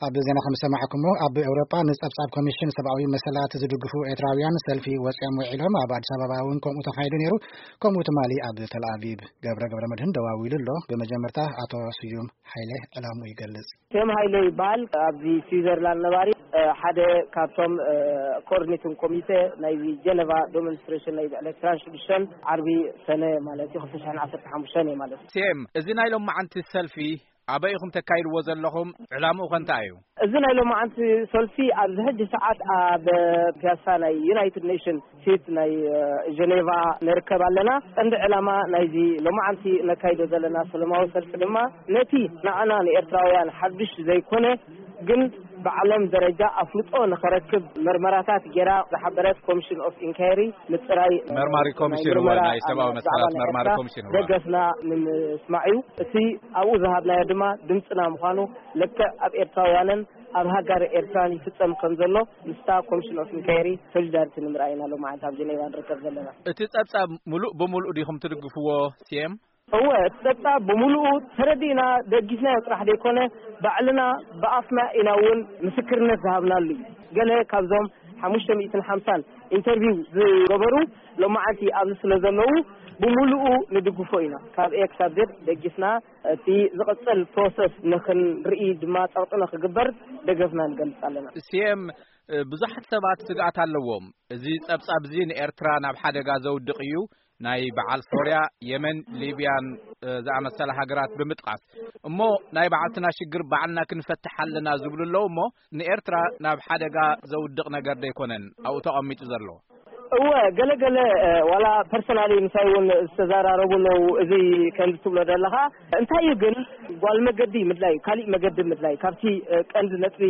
ኣብ ዜና ከም ዝሰማዕኩሞ፣ ኣብ ኤውሮጳ ንጸብጻብ ኮሚሽን ሰብኣዊ መሰላት ዝድግፉ ኤርትራውያን ሰልፊ ወጺኦም ውዒሎም። ኣብ ኣዲስ ኣበባ እውን ከምኡ ተኻይዱ ነይሩ። ከምኡ ትማሊ ኣብ ተል ኣቪቭ። ገብረ ገብረ መድህን ደዋዊሉ ኣሎ። ብመጀመርታ ኣቶ ስዩም ሓይለ ዕላሙ ይገልጽ። ስዩም ሓይለ ይበሃል። ኣብዚ ስዊዘርላንድ ነባሪ፣ እ፣ ሓደ ካብቶም፣ እ፣ ኮኦርዲኔቲንግ ኮሚቴ ናይዚ ጀነቫ ዴሞንስትሬሽን ናይ ብዕለት ዕስራን ሽዱሽተን ዓርቢ ሰነ ማለት እዩ፣ ክልተ ሽሕን ዓሰርተ ሓሙሽተን እዩ ማለት እዩ። ስዩም፣ እዚ ናይ ሎማዓንቲ ሰልፊ ኣበይ ኢኹም ተካይድዎ ዘለኹም? ዕላምኡ ከ እንታይ እዩ? እዚ ናይ ሎማዓንቲ ሰልፊ ኣብዚ ሕጂ ሰዓት ኣብ ፒያሳ ናይ ዩናይትድ ኔሽን ፊት ናይ፣ እ፣ ጀኔቫ ንርከብ ኣለና። ቀንዲ ዕላማ ናይዚ ሎማዓንቲ ነካይዶ ዘለና ሰለማዊ ሰልፊ ድማ ነቲ ንዓና ንኤርትራውያን ሓድሽ ዘይኮነ ግን ብዓለም ደረጃ ኣፍልጦ ንኸረክብ መርመራታት ጌራ ዝሓበረት ኮሚሽን ኦፍ ኢንኳየሪ ምጽራይ መርማሪ ኮሚሽን፣ ናይ ምርመራ ናይ ሰብኣዊ ኣብ መሰላት ዛዕባ ናይ መርማሪ ኤርትራ ኮሚሽን፣ እወ። ደገፍና ንምስማዕ እዩ። እቲ ኣብኡ ዝሃብናዮ ድማ ድምጽና ምዃኑ ልክዕ ኣብ ኤርትራውያንን ኣብ ሃገር ኤርትራን ይፍጸም ከም ዘሎ ምስታ ኮሚሽን ኦፍ ኢንኳየሪ ሶሊዳሪቲ ንምርኣይ ኢና ሎማዓንቲ ኣብ ጀኔቫ ንርከብ ዘለና። እቲ ጸብጻብ ምሉእ ብምሉእ ዲኹም ትድግፍዎ፣ ስዩም? እወ፣ እቲ ጸብጻብ ብምሉኡ ተረዲእና ደጊፍናዮ ጥራሕ ዘይኮነ፣ ባዕልና ብኣፍና ኢና እውን ምስክርነት ዝሃብናሉ እዩ። ገለ ካብዞም ሓሙሽተ ሚእትን ሓምሳን ኢንተርቪው ዝገበሩ ሎማዓንቲ ኣብዚ ስለ ዘለዉ፣ ብምሉኡ ንድግፎ ኢና። ካብ ኤ ክሳብ ዜድ ደጊፍና፣ እቲ ዝቕጽል ፕሮሰስ ንኽንርኢ ድማ ጸቕጢ ንኽግበር ደገፍና ንገልጽ ኣለና። ስዩም፣ ብዙሓት ሰባት ስግኣት ኣለዎም። እዚ ጸብጻብ እዚ ንኤርትራ ናብ ሓደጋ ዘውድቕ እዩ፣ ናይ በዓል ሶርያ፣ የመን፣ ሊብያን፣ እ፣ ዝኣመሰላ ሃገራት ብምጥቃስ። እሞ ናይ ባዕልትና ሽግር ባዕልና ክንፈትሕ ኣለና ዝብሉ ኣለዉ። እሞ ንኤርትራ ናብ ሓደጋ ዘውድቕ ነገር ደይኮነን ኣብኡ ተቐሚጡ ዘሎ? እወ፣ ገለ ገለ፣ እ፣ ዋላ ፐርሰናሊ ምሳይ እውን ዝተዘራረቡ ኣለዉ። እዚ ከምዚ ትብሎ ዘለኻ እንታይ እዩ ግን፣ ጓል መገዲ ምድላይ፣ ካሊእ መገዲ ምድላይ፣ ካብቲ፣ እ፣ ቀንዲ ነጥቢ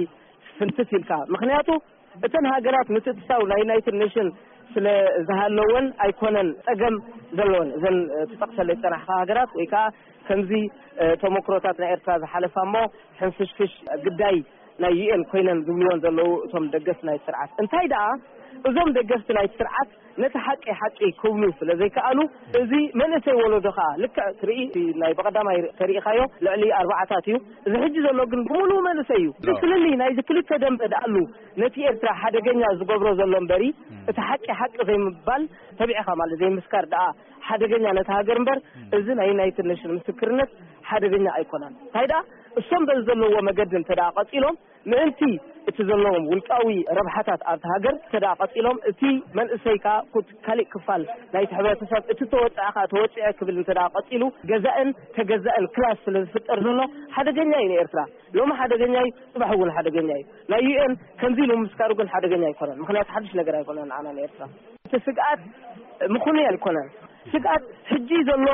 ፍንትት ኢልካ። ምኽንያቱ እተን ሃገራት ምትእትታው ናይ ዩናይትድ ኔሽን ስለ ዝሃለወን ኣይኮነን ጸገም ዘለወን። እዘን፣ እ፣ ትጠቕሰለይ ዝጸናሕካ ሃገራት ወይ ከኣ ከምዚ፣ እ፣ ተሞክሮታት ናይ ኤርትራ ዝሓለፋ እሞ ሕንፍሽፍሽ ግዳይ ናይ ዩ ኤን ኮይነን ዝብልወን ዘለዉ እቶም ደገፍቲ ናይቲ ስርዓት። እንታይ ደኣ እዞም ደገፍቲ ናይቲ ስርዓት ነቲ ሓቂ ሓቂ ክብሉ ስለ ዘይከኣሉ፣ እዚ መንእሰይ ወለዶ ከኣ ልክዕ ትርኢ፣ ናይ ብቐዳማይ ተሪኢኻዮ ልዕሊ ኣርባዓታት እዩ። እዚ ሕጂ ዘሎ ግን ብምሉኡ መንእሰይ እዩ። እቲ ፍልልይ ናይዚ ክልተ ደንበ ደኣሉ ነቲ ኤርትራ ሓደገኛ ዝገብሮ ዘሎ እምበሪ፣ እቲ ሓቂ ሓቂ ዘይምባል፣ ተቢዕኻ ማለት ዘይምስካር ደኣ ሓደገኛ ነቲ ሃገር እምበር፣ እዚ ናይ ዩናይትድ ኔሽን ምስክርነት ሓደገኛ ኣይኮነን። እንታይ ደኣ እሶም በዚ ዘለዎ መገዲ እንተ ደኣ ቀጺሎም፣ ምእንቲ እቲ ዘለዎም ውልቃዊ ረብሓታት ኣብቲ ሃገር እንተ ደኣ ቀጺሎም፣ እቲ መንእሰይ ከኣ ኩት-፣ ካሊእ ክፋል ናይቲ ሕብረተሰብ እቲ ተወጽዐ ከኣ ተወጽዐ ክብል እንተ ደኣ ቀጺሉ፣ ገዛእን ተገዛእን ክላስ ስለ ዝፍጠር ዘሎ ሓደገኛ እዩ ንኤርትራ። ሎሚ ሓደገኛ እዩ፣ ጽባሕ እውን ሓደገኛ እዩ። ናይ ዩ ኤን ከምዚ ኢሉ ምስካሩ ግን ሓደገኛ ኣይኮነን። ምኽንያቱ ሓድሽ ነገር ኣይኮነን ንዓና ንኤርትራ። እቲ ስግኣት ምኽኑይ ኣይኮነን። ስግኣት ሕጂ ዘሎ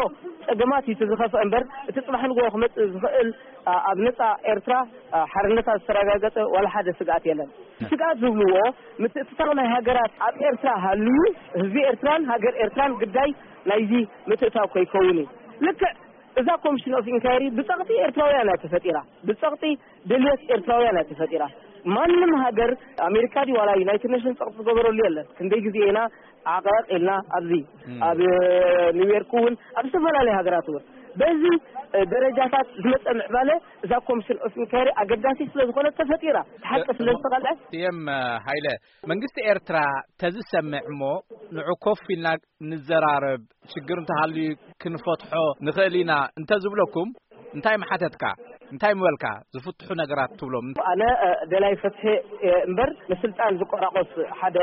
ጸገማት እዩ እቲ ዝኸፍአ እምበር፣ እቲ ጽባሕ ንግሆ ክመጽእ ዝኽእል፣ ኣ-፣ ኣብ ነጻ ኤርትራ፣ ኣ፣ ሓርነታ ዝተረጋገጸ ዋላ ሓደ ስግኣት የለን። ስግኣት ዝብልዎ ምትእትታው ናይ ሃገራት ኣብ ኤርትራ ሃልዩ፣ ህዝቢ ኤርትራን ሃገር ኤርትራን ግዳይ ናይዚ ምትእትታው ከይከውን እዩ። ልክዕ እዛ ኮሚሽን ኦፍ ኢንኳየሪ ብጸቕጢ ኤርትራውያን እያ ተፈጢራ። ብጸቕጢ ድልየት ኤርትራውያን እያ ተፈጢራ። ማንም ሃገር፣ ኣሜሪካ ድዩ ዋላ ዩናይትድ ኔሽን ጸቕጢ ዝገበረሉ የለን። ክንደይ ግዜ ኢና ዓቐቕ ኢልና ኣብዚ፣ እም። ኣብ ኒውዮርክ እውን፣ ኣብ ዝተፈላለዩ ሃገራት እውን። በዚ፣ እ፣ ደረጃታት ዝመጸ ምዕባለ እዛ ኮሚሽን ኦፍ ኢንኳየሪ ኣገዳሲ ስለ ዝኾነት ተፈጢራ። ሓቂ ስለ ዝተቐልዐ። ስዩም፣ እ፣ ሃይለ፣ መንግስቲ ኤርትራ ተዝሰምዕ እሞ ንዑ ኮፍ ኢልና ንዘራረብ፣ ሽግር እንተሃልዩ ክንፈትሖ ንኽእል ኢና እንተዝብለኩም፣ እንታይ ምሓተትካ? እንታይ ምበልካ? ዝፍትሑ ነገራት ትብሎም? ኣነ፣ እ፣ ደላይ ፍትሒ እየ እምበር፣ ንስልጣን ዝቆራቆስ ሓደ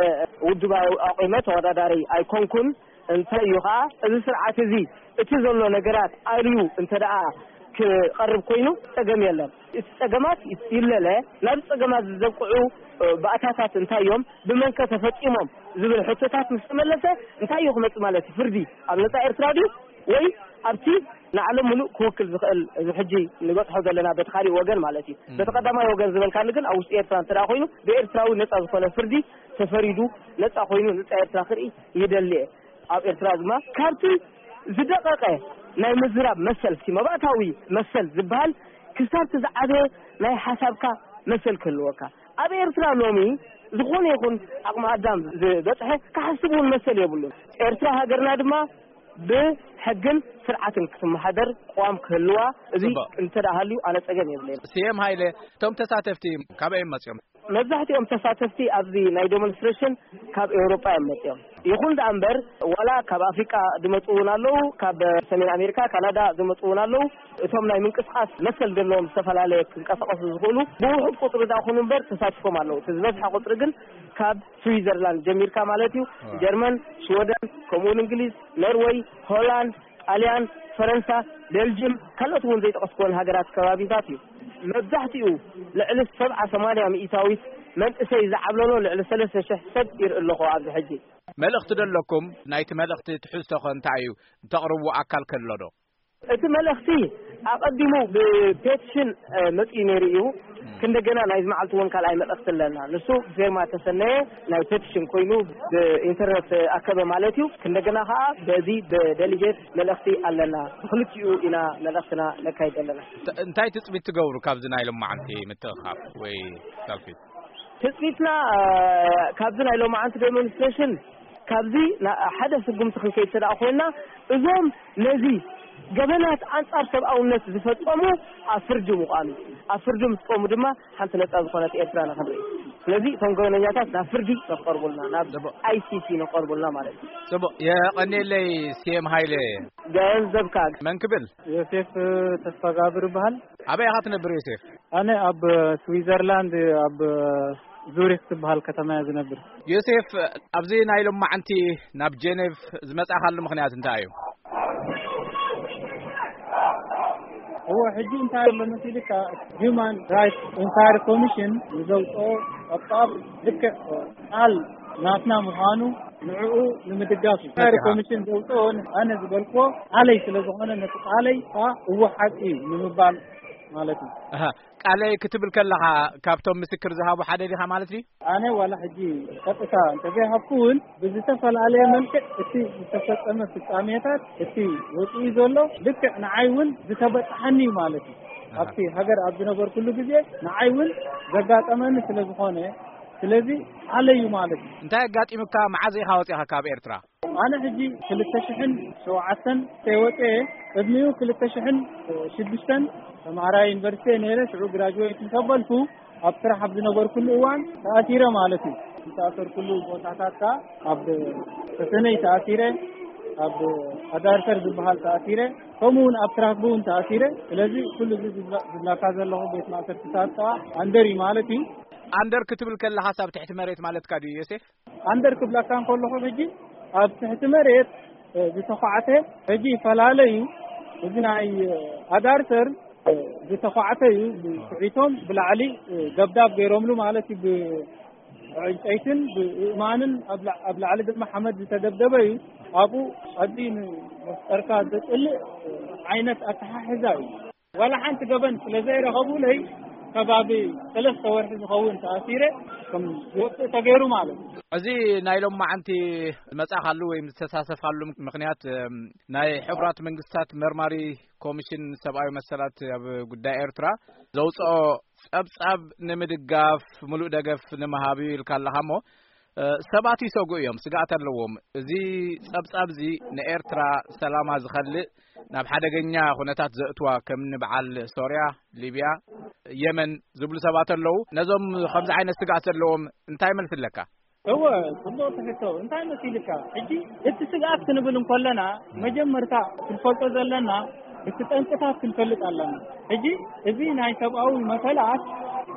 ውድብ ኣይ-፣ ኣቑመ ተወዳዳሪ ኣይኮንኩን። እንታይ እዩ ኸኣ፣ እዚ ስርዓት እዚ፣ እቲ ዘሎ ነገራት ኣልዩ እንተ ደኣ ክቐርብ ኮይኑ፣ ጸገም የለን። እቲ ጸገማት ይለለ፣ ናብ ጸገማት ዘብቅዑ፣ እ፣ ባእታታት እንታይ እዮም? ብመንከ ተፈጺሞም? ዝብል ሕቶታት ምስ ተመለሰ፣ እንታይ እዩ ክመጽእ ማለት እዩ? ፍርዲ ኣብ ነጻ ኤርትራ ድዩ? ወይ ኣብቲ ንዓለም ምሉእ ክውክል ዝኽእል፣ እዚ ሕጂ ንበጽሖ ዘለና በቲ ካልእ ወገን ማለት እዩ። እም። በቲ ቀዳማይ ወገን ዝበልካኒ ግን ኣብ ውሽጢ ኤርትራ እንተ ደኣ ኮይኑ፣ ብኤርትራዊ ነጻ ዝኾነ ፍርዲ ተፈሪዱ፣ ነጻ ኮይኑ ነጻ ኤርትራ ክርኢ ይደሊ እየ። ኣብ ኤርትራ ድማ ካብቲ ዝደቐቐ ናይ ምዝራብ መሰል፣ እቲ መባእታዊ መሰል ዝበሃል፣ ክሳብ እቲ ዝዓበየ ናይ ሓሳብካ መሰል ክህልወካ። ኣብ ኤርትራ ሎሚ ዝኾነ ይኹን ዓቕሚ ኣዳም ዝበጽሐ ክሓስብ እውን መሰል የብሉን። ኤርትራ ሃገርና ድማ ብሕግን ስርዓትን ክትመሓደር ቅዋም ክህልዋ፣ እዚ ጽቡቕ። እንተ ደኣ ሃልዩ ኣነ ጸገም የብለይን። ስየም ሃይለ፣ እቶም ተሳተፍቲ ካበይ እዮም መጺኦም? መብዛሕትኦም ተሳተፍቲ ኣብዚ ናይ ዴሞንስትሬሽን ካብ ኤውሮጳ እዮም መጺኦም። ይኹን ደኣ እምበር፣ ዋላ ካብ ኣፍሪቃ ዝመጹ እውን ኣለዉ፣ ካብ ሰሜን ኣሜሪካ፣ ካናዳ ዝመጹ እውን ኣለዉ። እቶም ናይ ምንቅስቃስ መሰል ዘለዎም ዝተፈላለየ ክንቀሳቀሱ ዝኽእሉ ብውሑድ ቁጽሪ ደኣ ኹኑ እምበር ተሳቲፎም ኣለዉ። እቲ ዝበዝሐ ቁጽሪ ግን ካብ ስዊዘርላንድ ጀሚርካ ማለት እዩ፣ ጀርመን፣ ሽወደን፣ ከምኡውን እንግሊዝ፣ ኖርወይ፣ ሆላንድ፣ ጣልያን፣ ፈረንሳ፣ ቤልጅም፣ ካልኦት እውን ዘይጠቀስኩወን ሃገራት ከባቢታት እዩ። መብዛሕትኡ ልዕሊ ሰብዓ ሰማንያ ሚእታዊት መንእሰይ ዝዓብለሎ ልዕሊ ሰለስተ ሽሕ ሰብ ይርኢ ኣለኹ ኣብዚ ሕጂ። መልእኽቲ ዶ ኣለኩም? ናይቲ መልእኽቲ ትሕዝቶ ኸ እንታይ እዩ? እተቕርብዎ ኣካል ከሎ ዶ? እቲ መልእኽቲ ኣቐዲሙ ብፔቲሽን፣ እ፣ መጺኡ ነይሩ እዩ። ክንደገና ናይዚ መዓልቲ እውን ካልኣይ መልእኽቲ ኣለና። ንሱ ብፌርማ ተሰነየ ናይ ፔቲሽን ኮይኑ ብኢንተርነት ኣከበ ማለት እዩ። ክንደገና ኸዓ በዚ ብደሊጌት መልእኽቲ ኣለና። ብክልቲኡ ኢና መልእኽትና ነካይድ ኣለና። እተ-፣ እንታይ ትጽቢት ትገብሩ ካብዚ ናይ ሎማዓንቲ ምትእኻብ ወይ ሰልፊ? ትጽቢትና፣ እ፣ ካብዚ ናይ ሎማዓንቲ ዴሞንስትሬሽን ካብዚ ና-፣ ሓደ ስጉምቲ ክንከይድ እንተ ደኣ ኮይንና፣ እዞም ነዚ ገበናት ኣንጻር ሰብኣውነት ዝፈጸሙ ኣብ ፍርዲ ምዃኑ፣ ኣብ ፍርዲ ምስ ቆሙ ድማ ሓንቲ ነጻ ዝኾነት ኤርትራ ንኽንርኢ። ስለዚ እቶም ገበነኛታት ናብ ፍርዲ ንኽቐርቡልና፣ ናብ ጽቡቕ። ኣይ ሲ ሲ ንኽቐርቡልና ማለት እዩ። ጽቡቕ። የቐንየለይ ስየም ሃይለ። ገንዘብካ። መን ክብል? ዮሴፍ ተስፋጋብር ይበሃል። ኣበይ ኢኻ ትነብር ዮሴፍ? ኣነ ኣብ ስዊዘርላንድ ኣብ ዙሪክ ትበሃል ከተማ እየ ዝነብር። ዮሴፍ፣ ኣብዚ ናይ ሎማዓንቲ ናብ ጀኔቭ ዝመጻኻሉ ምኽንያት እንታይ እዩ? እዎ፣ ሕጂ እንታይ ኣሎ መሲልካ፣ ሂዩማን ራይትስ ኢንኳሪ ኮሚሽን ንዘውፅኦ ጸብጻብ ልክዕ ቃል ናትና ምዃኑ ንዕኡ ንምድጋፍ እዩ። ኢንኳሪ ኮሚሽን ዘውፅኦ ኣነ ዝበልክዎ ቃለይ ስለ ዝኾነ ነቲ ቃለይ ከዓ እዎ ሓቂ እዩ ንምባል ማለት እዩ። ኣሃ፣ ቃለይ ክትብል ከለኻ ካብቶም ምስክር ዝሃቡ ሓደ ዲኻ ማለት ድዩ? ኣነ ዋላ ሕጂ ቀጥታ እንተዘይሃብኩ እውን ብዝተፈላለየ መልክዕ እቲ ዝተፈጸመ ፍጻሜታት እቲ ወፂኡ ዘሎ ልክዕ ንዓይ እውን ዝተበጽሓኒ እዩ ማለት እዩ። ኣሃ። ኣብቲ ሃገር ኣብ ዝነበርኩሉ ግዜ ንዓይ እውን ዘጋጠመኒ ስለ ዝኾነ፣ ስለዚ ቃለይ እዩ ማለት እዩ። እንታይ ኣጋጢሙካ? መዓዝ ኢኻ ወፂኻ ካብ ኤርትራ? ኣነ ሕጂ ክልተ ሽሕን ሸውዓተን ተወፀ፣ ቅድሚኡ ክልተ ሽሕን ሽዱሽተን ተምሃራይ ዩኒቨርሲቲ ነይረ። ሽዑ ግራጅዌት እንተበልኩ ኣብ ስራሕ ኣብ ዝነበርኩሉ እዋን ተኣሲረ ማለት እዩ። ዝተኣሰርኩሉ ቦታታት ከኣ ኣብ ተሰነይ ተኣሲረ፣ ኣብ ኣዳርተር ዝበሃል ተኣሲረ፣ ከምኡ እውን ኣብ ትራክቡ እውን ተኣሲረ። ስለዚ ኩሉ እዚ ዝብላ-፣ ዝብላካ ዘለኹ ቤት ማእሰርትታት ከኣ ኣንደር እዩ ማለት እዩ። ኣንደር ክትብል ከለኻስ ኣብ ትሕቲ መሬት ማለትካ ድዩ ዮሴፍ? ኣንደር ክብለካ እንከለኹ ሕጂ ኣብ ትሕቲ መሬት፣ እ፣ ዝተዃዕተ ሕጂ ይፈላለ እዩ። እዚ ናይ፣ እ፣ ኣዳርተር፣ እ፣ ዝተዃዕተ እዩ። ብኩዒቶም ብላዕሊ፣ እ፣ ደብዳብ ገይሮምሉ ማለት እዩ። ብዕንጨይትን ብእእማንን ኣብ ላ-፣ ኣብ ላዕሊ ድማ ሓመድ ዝተደብደበ እዩ። ኣብኡ ኣዝዩ ንመፍጠርካ ዘጽልእ፣ እ፣ ዓይነት ኣተሓሕዛ እዩ። ዋላ ሓንቲ ገበን ስለ ዘይረኸቡለይ ከባቢ ሰለስተ ወርሒ ዝኸውን ተኣሲረ ከም ዝወፅእ ተገይሩ ማለት እዩ። እዚ ናይ ሎማዓንቲ ዝመጻኻሉ ወይም ዝተሳተፍካሉ ምኽንያት፣ እም፣ ናይ ሕቡራት መንግስታት መርማሪ ኮሚሽን ሰብኣዊ መሰላት ኣብ ጉዳይ ኤርትራ ዘውፅኦ ጸብጻብ ንምድጋፍ ምሉእ ደገፍ ንምሃብ እዩ ኢልካ ኣለኻ እሞ፣ እ፣ ሰባት ይሰግኡ እዮም፣ ስግኣት ኣለዎም። እዚ ጸብጻብ እዚ ንኤርትራ ሰላማ ዝኸልእ፣ ናብ ሓደገኛ ኩነታት ዘእትዋ፣ ከም ንበዓል ሶርያ፣ ሊብያ፣ የመን ዝብሉ ሰባት ኣለዉ። ነዞም ከምዚ ዓይነት ስግኣት ዘለዎም እንታይ መልሲ ኣለካ? እወ፣ ጽቡቕ ትሕቶ። እንታይ መሲልካ? ሕጂ እቲ ስግኣት ክንብል እንከለና፣ መጀመርታ ክንፈልጦ ዘለና እቲ ጠንቅታት ክንፈልጥ ኣለና። ሕጂ እዚ ናይ ሰብኣዊ መሰላት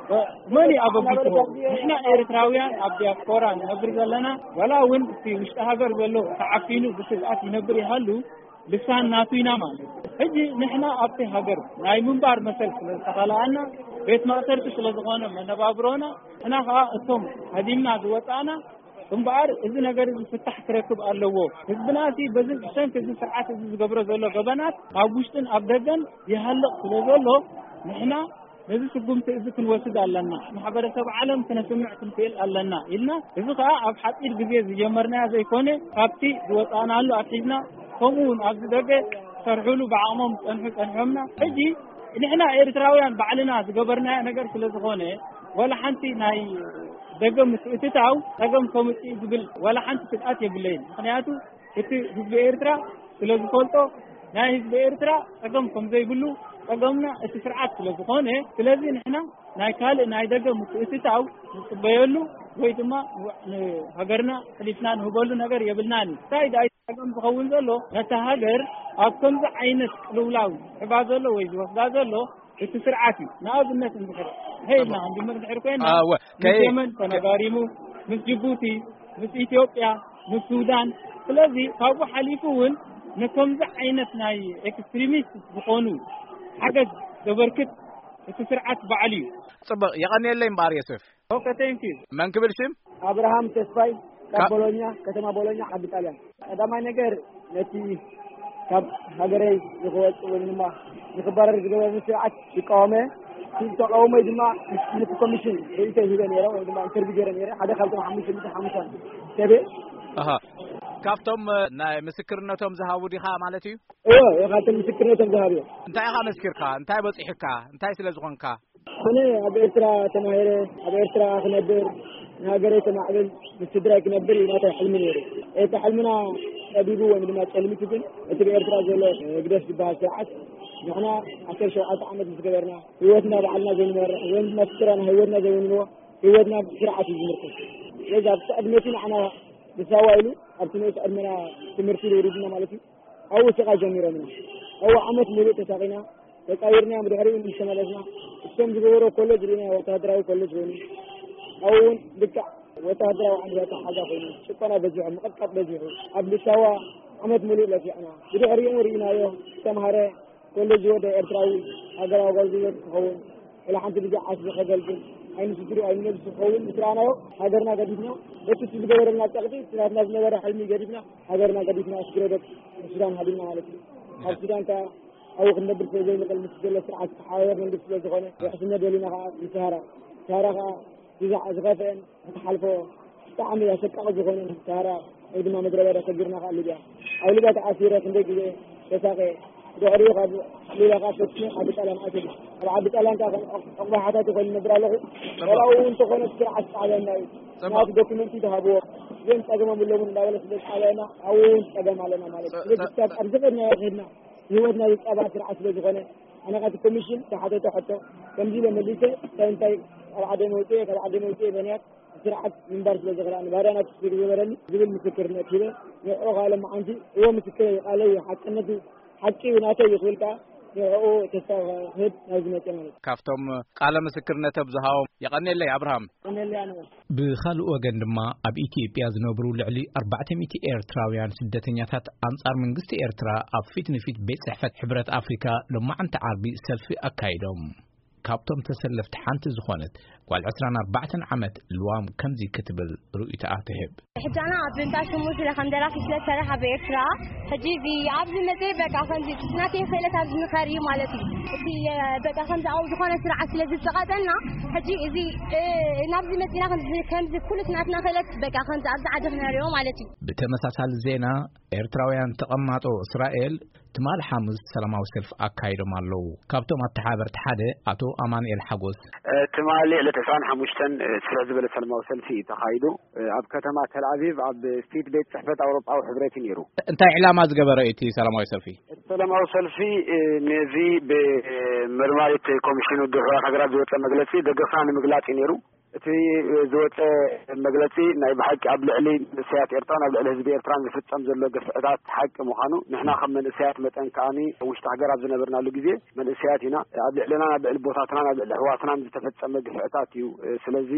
መን እዩ ኣበጊስዎ? ንሕና ኤርትራውያን ኣብ ዲያስፖራ ንነብር ዘለና፣ ዋላ እውን እቲ ውሽጢ ሃገር ዘሎ ተዓፊኑ ብስግኣት ይነብር ይሃሉ፣ ልሳን ናቱ ኢና ማለት እዩ። ሕጂ ንሕና ኣብቲ ሃገር ናይ ምንባር መሰል ስለ ዝተኸልኣና፣ ቤት ማእሰርቲ ስለ ዝኾነ መነባብሮና፣ ንሕና ኸኣ እቶም ሃዲምና ዝወጻእና፣ እምበኣር እዚ ነገር እዚ ፍታሕ ክረክብ ኣለዎ። ህዝብና እቲ በዚ ብሰንኪ እዚ ስርዓት እዚ ዝገብሮ ዘሎ ገበናት ኣብ ውሽጥን ኣብ ደገን ይሃልቕ ስለ ዘሎ፣ ንሕና ነዚ ስጉምቲ እዚ ክንወስድ ኣለና። ማሕበረሰብ ዓለም ክነስምዕ ክንክእል ኣለና ኢልና፣ እዚ ኸኣ ኣብ ሓጺር ግዜ ዝጀመርናዮ ዘይኮነ፣ ካብቲ ዝወጻእናሉ ኣትሒዝና፣ ከምኡ እውን ኣብዚ ደገ ዝሰርሕሉ ብዓቕሞም ዝጸንሑ ጸንሖምና። ሕጂ ንሕና ኤርትራውያን ባዕልና ዝገበርናዮ ነገር ስለ ዝኾነ፣ ዋላ ሓንቲ ናይ ደገ ምትእትታው ጸገም ከምጽእ ዝብል ዋላ ሓንቲ ስግኣት የብለይን። ምኽንያቱ እቲ ህዝቢ ኤርትራ ስለ ዝፈልጦ ናይ ህዝቢ ኤርትራ ጸገም ከም ዘይብሉ፣ ጸገምና እቲ ስርዓት ስለ ዝኾነ፣ ስለዚ ንሕና ናይ ካልእ ናይ ደገ ምትእትታው ንጽበየሉ ወይ ድማ ንሃገርና ሕሊፍና ንህበሉ ነገር የብልናን። እንታይ ደኣ ጸገም ዝኸውን ዘሎ፣ ነታ ሃገር ኣብ ከምዚ ዓይነት ቅልውላው ዝሕባ ዘሎ ወይ ዝወስዳ ዘሎ እቲ ስርዓት እዩ። ንኣብነት እንድሕር፣ ሄ ኢልና ክንጅምር እንድሕር ኮይና፣ ኣወ፣ ምስ ከይ-፣ የመን ተነጋሪሙ፣ ምስ ጅቡቲ፣ ምስ ኢትዮጵያ፣ ምስ ሱዳን። ስለዚ ካብኡ ሓሊፉ እውን ንከምዚ ዓይነት ናይ ኤክስትሪሚስት ዝኾኑ ሓገዝ ዘበርክት እቲ ስርዓት ባዕሉ እዩ። ጽቡቕ፣ የቐንየለይ እምበኣር ዮሴፍ። ኦኬ፣ ቴንክ ዩ። መን ክብል ሽም? ኣብርሃም ተስፋይ፣ ካብ ካብ ቦሎኛ፣ ከተማ ቦሎኛ፣ ዓዲ ጣልያን። ቀዳማይ ነገር፣ ነቲ ካብ ሃገረይ ንክወጽእ ወይ ድማ ንክባረር ዝገበረኒ ስርዓት ይቃወመ። እቲ ተቃውሞይ ድማ ነቲ ኮሚሽን ርእይቶ ሂበ ነይረ ወይ ድማ ኢንተርቪው ገይረ ነይረ። ሓደ ካብቶም ሓሙሽተ ሚእቲ ሓሙሽተ ሰብ እየ። ኣሃ። ካብቶም፣ እ፣ ናይ ምስክርነቶም ዝሃቡ ዲኻ ማለት እዩ? እወ፣ እወ፣ ካብቶም ምስክርነቶም ዝሃቡ እዮም። እንታይ ኢኻ መስኪርካ? እንታይ በጺሑካ? እንታይ ስለ ዝኾንካ? ኣነ ኣብ ኤርትራ ተማሂረ፣ ኣብ ኤርትራ ክነብር፣ ንሃገረይ ከማዕብል፣ ምስ ስድራይ ክነብር እዩ ናተይ ሕልሚ ነይሩ። እቲ ሕልምና ጠቢቡ ወይ ድማ ጨልሚቱ ግን፣ እቲ ብኤርትራ ዘሎ ህግደፍ ዝበሃል ስርዓት፣ ንሕና ዓሰርተ ሸውዓተ ዓመት ምስ ገበርና፣ ህይወትና ባዕልና ዘይንመርሕ፣ ወይ ድማ ስድራና ህይወትና ዘይውንንዎ፣ ህይወትና ብስርዓት እዩ ዝምርኮስ። ስለዚ ኣብቲ ዕድመ እቲ ንዓና ብሳዋ ኢሉ፣ ኣብቲ ንኡስ ዕድመና ትምህርቲ ይውርድና ማለት እዩ። ኣብኡ ስቓይ ጀሚሮምና። ኣብኡ ዓመት ሙሉእ ተሳቒና፣ ተጻዊርና፣ ብድሕሪኡ ምስ ተመለስና፣ እቶም ዝገበሮ ኮሌጅ ርኢና፣ ወተሃደራዊ ኮሌጅ ኮይኑ፣ ኣብኡ እውን ልክዕ ወተሃደራዊ ዓይነት ኣተሓሕዛ ኮይኑ፣ ጭቆና በዚሑ፣ ምቕጥቃጥ በዚሑ፣ ኣብ ልሳዋ ዓመት ሙሉእ ለፊዕና። ብድሕሪኡ እውን ርኢናዮ፣ ዝተምሃረ ኮሌጅ ዝወደ ኤርትራዊ ሃገራዊ ኣገልግሎት ክኸውን፣ ወላ ሓንቲ ግዜ ዓስቢ ከገልግል፣ ኣይኑ ስድሩ ኣይኑ ነብሱ ክኸውን ምስ ረኣናዮ፣ ሃገርና ገዲፍና፣ በቲ እቲ ዝገበረልና ጸቕጢ፣ እቲ ናትና ዝነበረ ሕልሚ ገዲፍና፣ ሃገርና ገዲፍና፣ ስግረ ደቅ ሱዳን ሃዲምና ማለት እዩ። ኣብ ሱዳን ከኣ ኣብኡ ክንነብር ስለ ዘይንኽእል፣ ምስ ዘሎ ስርዓት ዝተሓባበር መንግስቲ ስለ ዝኾነ፣ ውሕስነት ደሊና ከኣ ንሰሃራ፣ ሰሃራ ከኣ እዚ ዝኸፍአን ክትሓልፎ ብጣዕሚ ኣሰቃቒ ዝኾነ ሰሃራ ወይ ድማ ምድረ በዳ ሰጊርና ከኣ ሊብያ። ኣብ ሊብያ ተኣሲረ ክንደይ ግዜ ተሳቐየ። ድሕሪኡ ካብ ሊብያ ከኣ ፈቲነ ዓዲ ጣልያን ኣትየ። ኣብ ዓዲ ጣልያን ከኣ ከም ዑቕ-፣ ዑቕባሓታት ኮይኑ ነብር ኣለኹ። ጽቡቕ። ዋላ እውን እንተኾነ ስርዓት ጣልያንና እዩ። ጽቡቕ። ምኽንያቱ ዶክመንት ተሃብዎ። ግን ጸገሞም የብሎምን እንዳበለ ስለ ጣልያንና ኣብኡ እውን ጸገም ኣለና ማለት እዩ። ጸ-፣ ስለዚ ጸ-፣ ክሳብ ጸ-፣ ኣብዚ ከድናዮ ከድና ህይወትና ዝጻባእ ስርዓት ስለ ዝኾነ፣ ኣነ ካብቲ ኮሚሽን ዝሓተቶ ሕቶ ከምዚ ኢለ መሊሰ፣ እንታይ እንታይ ካብ ዓደይ መውጽኤ፣ ካብ ዓደይ መውጽኤ በንያት ስርዓት ምንባር ስለ ዝኽእል፣ ኣነ ባርያ ናቱ ስለ ዝገበረኒ ዝብል ምስክርነት ሂበ፣ ንዕኡ ከዓ ሎማዓንቲ እወ ምስክረይ እዩ፣ ቃለይ እዩ፣ ሓቅነቱ ሓቂ እዩ፣ ናተይ እዩ ክብል ከዓ ንዕኡ ተስፋ ክህብ ናብዚ መፅእ ማለት እዩ። ካብቶም ቃለ ምስክርነቶም ዝሃቦም የቐንየለይ ኣብርሃም። የቐንየለይ ኣነ። ብኻልእ ወገን ድማ፣ ኣብ ኢትዮጵያ ዝነብሩ ልዕሊ ኣርባዕተ ሚእቲ ኤርትራውያን ስደተኛታት ኣንጻር መንግስቲ ኤርትራ ኣብ ፊት ንፊት ቤት ጽሕፈት ሕብረት ኣፍሪካ ሎማዓንቲ ዓርቢ ሰልፊ ኣካይዶም። ካብቶም ተሰለፍቲ ሓንቲ ዝኾነት ጓል ዕስራን ኣርባዕተን ዓመት ልዋም ከምዚ ክትብል ርእይቶኣ ትህብ። ሕጂ ኣና ኣብ እንዳ ሽሙ ስለ ከም ደራሲ ስለ ዝሰርሕ ኣብ ኤርትራ፣ ሕጂ እዚ ኣብዚ መፅእ በቃ ከምዚ ናተይ ክእለት ኣብዚ ምኸር እዩ ማለት እዩ። እቲ በቃ ከምዚ ኣብኡ ዝኾነ ስርዓት ስለ ዝፀቓፀልና፣ ሕጂ እዚ፣ እ፣ ናብዚ መፂና ከምዚ፣ ከምዚ ኩሉ ናትና ክእለት በቃ ከምዚ ኣብዚ ዓዲ ክነሪኦ ማለት እዩ። ብተመሳሳሊ ዜና፣ ኤርትራውያን ተቐማጦ እስራኤል ትማሊ ሓሙስ ሰላማዊ ሰልፊ ኣካይዶም ኣለዉ። ካብቶም ኣተሓባበርቲ ሓደ ኣቶ ኣማኑኤል ሓጎስ። እ፣ ትማሊ ዕለት ዕስራን ሓሙሽተን፣ እ፣ ስፍሕ ዝበለ ሰላማዊ ሰልፊ እዩ ተኻይዱ። እ፣ ኣብ ከተማ ተልኣቪቭ ኣብ ፊት ቤት ጽሕፈት ኣውሮጳዊ ሕብረት እዩ ነይሩ። እንታይ ዕላማ ዝገበረ እቲ ሰላማዊ ሰልፊ? እቲ ሰላማዊ ሰልፊ፣ እ፣ ነዚ ብመርማሪት ኮሚሽን ውድብ ሕቡራት ሃገራት ዝወጸ መግለጺ ደገፍና ንምግላጽ እዩ ነይሩ። እቲ ዝወፀ መግለፂ ናይ ብሓቂ ኣብ ልዕሊ መንእሰያት ኤርትራን ኣብ ልዕሊ ህዝቢ ኤርትራን ዝፍፀም ዘሎ ግፍዕታት ሓቂ ምዃኑ፣ ንሕና ከም መንእሰያት መጠን ከኣኒ ኣብ ውሽጢ ሃገር ኣብ ዝነበርናሉ ግዜ መንእሰያት ኢና። ኣብ ልዕልና፣ ኣብ ልዕሊ ቦታትናን ኣብ ልዕሊ ኣሕዋትናን ዝተፈፀመ ግፍዕታት እዩ። ስለዚ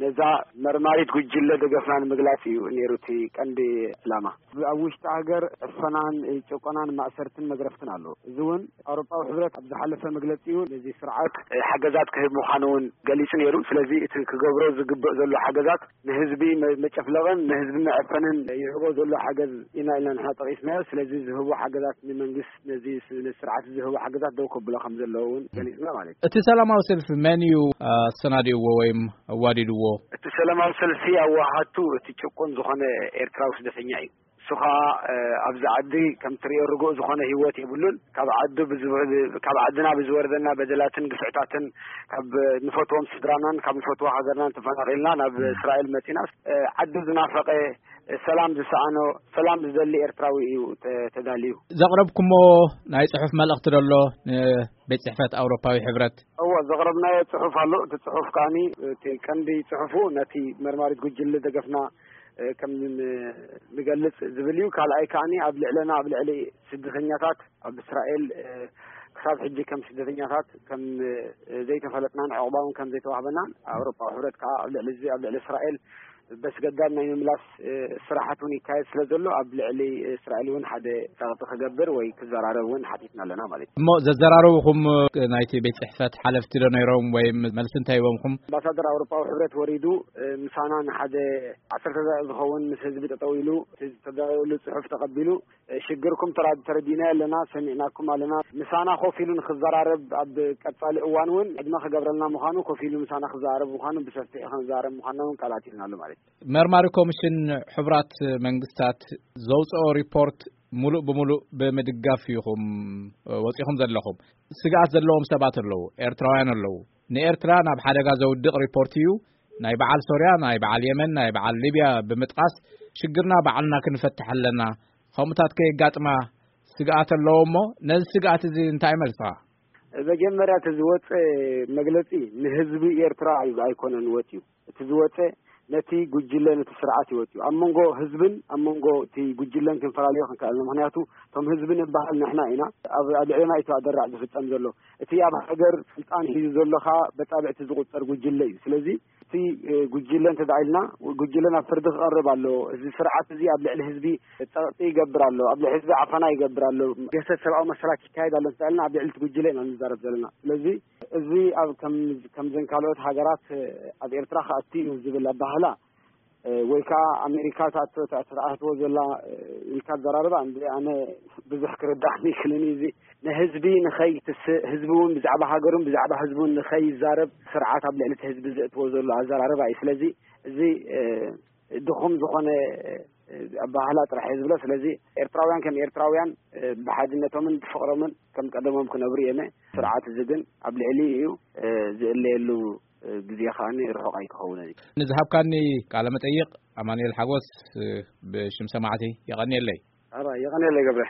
ነዛ መርማሪት ጉጅለ ደገፍና ንምግላፅ እዩ ነይሩ እቲ ቀንዲ ዕላማ። ኣብ ውሽጢ ሃገር ዕፈናን ጭቆናን ማእሰርትን መግረፍትን ኣሎ። እዚ እውን ኣውሮጳዊ ሕብረት ኣብ ዝሓለፈ መግለጺኡ ነዚ ስርዓት ሓገዛት ክህብ ምዃኑ እውን ገሊጹ ነይሩ። ስለዚ እቲ ክገብሮ ዝግበእ ዘሎ ሓገዛት ንህዝቢ መ-፣ መጨፍለቕን ንህዝቢ መዕፈንን ይህቦ ዘሎ ሓገዝ ኢና ኢልና ንሕና ጠቒስናዮ። ስለዚ ዝህቦ ሓገዛት ንመንግስት ነዚ ስ-፣ ነዚ ስርዓት ዝህቦ ሓገዛት ደው ከብሎ ከም ዘለዎ እውን ገሊጽና ማለት እዩ። እቲ ሰላማዊ ሰልፊ መን እዩ ኣሰናዲእዎ ወይም ኣዋዲድዎ? እቲ ሰላማዊ ሰልፊ ኣዋሃቱ እቲ ጭቁን ዝኾነ ኤርትራዊ ስደተኛ እዩ። እሱ ኸኣ፣ እ፣ ኣብዚ ዓዲ ከም ትርእዮ ርጉእ ዝኾነ ህይወት የብሉን። ካብ ዓዱ ብዝወ-፣ ካብ ዓድና ብዝወረደና በደላትን ግፍዕታትን ካብ ንፈትዎም ስድራናን ካብ ንፈትዎ ሃገርናን ተፈናቒልና ናብ እስራኤል መጺና፣ እ፣ ዓዱ ዝናፈቐ፣ ሰላም ዝሰኣኖ፣ ሰላም ዝደሊ ኤርትራዊ እዩ ተ-፣ ተዳልዩ። ዘቕረብኩሞ ናይ ጽሑፍ መልእኽቲ ደሎ ንቤት ጽሕፈት ኣውሮፓዊ ሕብረት? እዎ፣ ዘቕረብናዮ ጽሑፍ ኣሎ። እቲ ጽሑፍ ከኣኒ፣ እቲ ቀንዲ ጽሑፉ ነቲ መርማሪት ጉጅለ ደገፍና፣ እ፣ ከም ን-፣ ንገልጽ ዝብል እዩ። ካልኣይ ከኣኒ ኣብ ልዕለና፣ ኣብ ልዕሊ ስደተኛታት፣ ኣብ እስራኤል፣ እ፣ ክሳብ ሕጂ ከም ስደተኛታት ከም፣ እ፣ ዘይተፈለጥናን ዕቑባ እውን ከም ዘይተዋህበናን፣ ኣውሮፓዊ ሕብረት ከኣ ኣብ ልዕሊ እዚ፣ ኣብ ልዕሊ እስራኤል በስገዳድ ናይ ምምላስ፣ እ፣ ስራሓት እውን ይካየድ ስለ ዘሎ፣ ኣብ ልዕሊ እስራኤል እውን ሓደ ጸቕጢ ክገብር ወይ ክዘራረብ እውን ሓቲትና ኣለና ማለት እዩ። እሞ ዘዘራረቡኹም ናይቲ ቤት ጽሕፈት ሓለፍቲ ዶ ነይሮም ወይ መልሲ እንታይ ሂቦምኹም? ኣምባሳደር ኣውሮፓዊ ሕብረት ወሪዱ፣ እ፣ ምሳና ንሓደ ዓሰርተ ደቂቕ ዝኸውን ምስ ህዝቢ ጠጠው ኢሉ፣ እቲ ዝተዳለወሉ ጽሑፍ ተቐቢሉ፣ እ፣ ሽግርኩም ተራ-፣ ተረዲእናዮ ኣለና፣ ሰሚዕናኩም ኣለና። ምሳና ኮፍ ኢሉ ንክዘራረብ፣ ኣብ ቀጻሊ እዋን እውን ዕድመ ክገብረልና ምዃኑ፣ ኮፍ ኢሉ ምሳና ክዘራረብ ምዃኑ፣ ብሰፊሑ ክንዘራረብ ምዃንና እውን ቃል ኣቲልና ኣሎ ማለት እዩ። መርማሪ ኮሚሽን ሕቡራት መንግስታት ዘውፅኦ ሪፖርት ሙሉእ ብሙሉእ ብምድጋፍ ኢኹም ወፂኹም ዘለኹም። ስግኣት ዘለዎም ሰባት ኣለዉ፣ ኤርትራውያን ኣለዉ። ንኤርትራ ናብ ሓደጋ ዘውድቕ ሪፖርት እዩ። ናይ በዓል ሶርያ፣ ናይ በዓል የመን፣ ናይ በዓል ሊብያ ብምጥቓስ ሽግርና ባዕልና ክንፈትሕ ኣለና። ከምኡታት ከየጋጥማ ስግኣት ኣለዎ እሞ ነዚ ስግኣት እዚ እንታይ መልስኻ? መጀመርያ እቲ ዝወፀ መግለፂ ንህዝቢ ኤርትራ ኣይ-፣ ኣይኮነን ወፂኡ። እቲ ዝወፀ ነቲ ጉጅለ፣ ነቲ ስርዓት እዩ ወፂኡ። ኣብ መንጎ ህዝብን ኣብ መንጎ እቲ ጉጅለን ክንፈላለዮ ክንክእል። ምክንያቱ እቶም ህዝቢ ንበሃል ንሕና ኢና። ኣብ፣ ኣብ ልዕለና እዩ እቲ ኣደራዕ ዝፍፀም ዘሎ። እቲ ኣብ ሃገር ስልጣን ሒዙ ዘሎ ከኣ በጻብዕቲ ዝቁጸር ጉጅለ እዩ። ስለዚ እቲ፣ እ፣ ጉጅለ እንተ ደኣ ኢልና፣ ጉጅለ ናብ ፍርዲ ክቐርብ ኣለዎ። እዚ ስርዓት እዚ ኣብ ልዕሊ ህዝቢ ጸቕጢ ይገብር ኣሎ፣ ኣብ ልዕሊ ህዝቢ ዓፈና ይገብር ኣሎ፣ ገሰት ሰብኣዊ መሰላት ይካየድ ኣሎ እንተ ደኣ ኢልና፣ ኣብ ልዕሊ እቲ ጉጅለ ኢና ንዛረብ ዘለና። ስለዚ እዚ ኣብ ከም፣ ከምዘን ካልኦት ሃገራት፣ እ፣ ኣብ ኤርትራ ክኣቱ እዩ ዝብል ኣባህላ፣ እ፣ ወይ ከኣ ኣሜሪካ ትኣትዎ፣ ትኣትዎ ዘላ፣ እ፣ ኢልካ ኣዘራርባ እንደ ኣነ ብዙሕ ክርዳእኒ ይክልን እዩ። እዚ ንህዝቢ ንኸይትስእ፣ ህዝቢ እውን ብዛዕባ ሃገሩን ብዛዕባ ህዝቡን ንኸይዛረብ ስርዓት ኣብ ልዕሊ እቲ ህዝቢ ዘእትዎ ዘሎ ኣዘራርባ እዩ። ስለዚ እዚ፣ እ፣ ድኹም ዝኾነ፣ እ፣ ኣባህላ ጥራሕ እየ ዝብሎ። ስለዚ ኤርትራውያን ከም ኤርትራውያን፣ እ፣ ብሓድነቶምን ብፍቕሮምን ከም ቀደሞም ክነብሩ እዮም። ስርዓት እዚ ግን ኣብ ልዕሊ እዩ፣ እ፣ ዝእለየሉ፣ እ፣ ግዜ ከኣ ርሑቕ ኣይክኸውንን እዩ። ንዝሃብካኒ ቃለ መጠይቕ ኣማኑኤል ሓጎስ፣ እ፣ ብሽም ሰማዕቲ የቐንየለይ። ኣባ የቐንየለይ ገብረ።